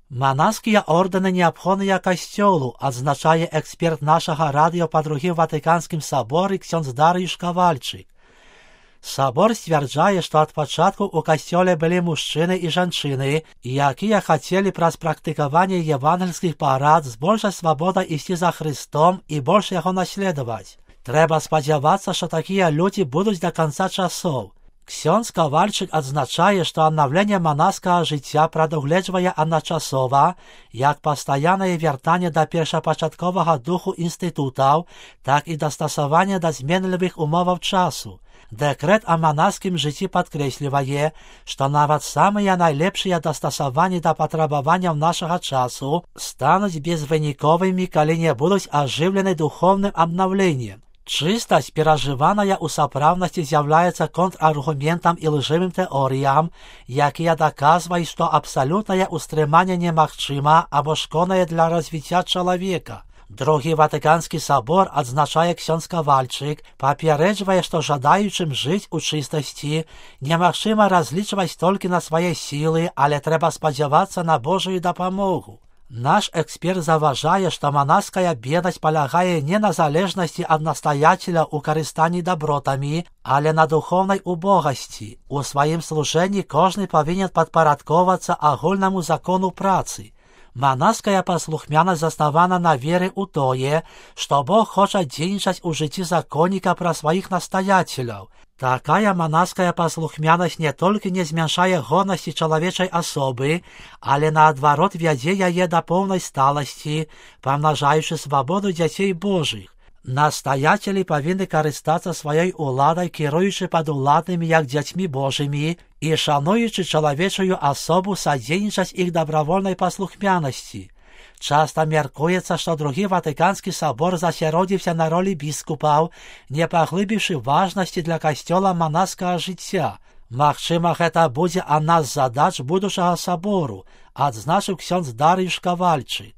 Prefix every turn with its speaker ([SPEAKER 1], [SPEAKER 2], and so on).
[SPEAKER 1] Манаскія ордэны неабходныя касцёлу, адзначае эксперт нашага радыё па другім Ватыканскім саборы ксёндз Дарыюш Кавальчык. Сабор сцвярджае, што ад пачатку ў касцёле былі мужчыны і жанчыны, якія хацелі праз практыкаванне евангельскіх парад з большай свабодай ісці за Хрыстом і больш яго наследаваць. Трэба спадзявацца, што такія людзі будуць да канца часоў. Ксёндз Кавальчык адзначае, што аднаўленне манаскага жыцця прадугледжвае адначасова як пастаяннае вяртанне да першапачатковага духу інстытутаў, так і дастасаванне да зменлівых умоваў часу. Дэкрэт о манаскім жыцці падкрэслівае, што нават самыя найлепшыя дастасаванні да патрабаванняў нашага часу стануць безвыніковымі, калі не будуць ажыўлены духоўным абнаўленнем. Чыстасць, перажываная ў сапраўднасці, з'яўляецца контраргументам і лжывым тэорыям, якія даказваюць, што абсалютнае ўстрыманне немагчыма або шкоднае для развіцця чалавека. Другі Ватыканскі сабор, адзначае ксёндз Кавальчык, папярэджвае, што жадаючым жыць у чыстасці немагчыма разлічваць толькі на свае сілы, але трэба спадзявацца на Божую дапамогу. Наш эксперт заўважае, што манаская беднасць палягае не на залежнасці ад настаяцеля ў карыстанні дабротамі, але на духоўнай убогасці. У сваім служэнні кожны павінен падпарадкоўвацца агульнаму закону працы. Манаская паслухмянасць заснавана на веры ў тое, што Бог хоча дзейнічаць у жыцці законніка пра сваіх настаяцеляў. Такая манаская паслухмянасць не толькі не змяншае годнасці чалавечай асобы, але наадварот вядзе яе да поўнай сталасці, памнажаючы свабоду дзяцей Божых. Настаяцелі павінны карыстацца сваёй уладай, кіруючы падуладнымі як дзяцьмі Божымі і шануючы чалавечую асобу садзейнічаць іх дабравольнай паслухмянасці. Часта мяркуецца, што другі Ватыканскі сабор засяродзіўся на ролі біскупаў, не паглыбіўшы важнасці для касцёла манаскага жыцця. Магчыма, гэта будзе адна з задач будучага сабору, адзначыў ксёндз Дарыюш Кавальчык.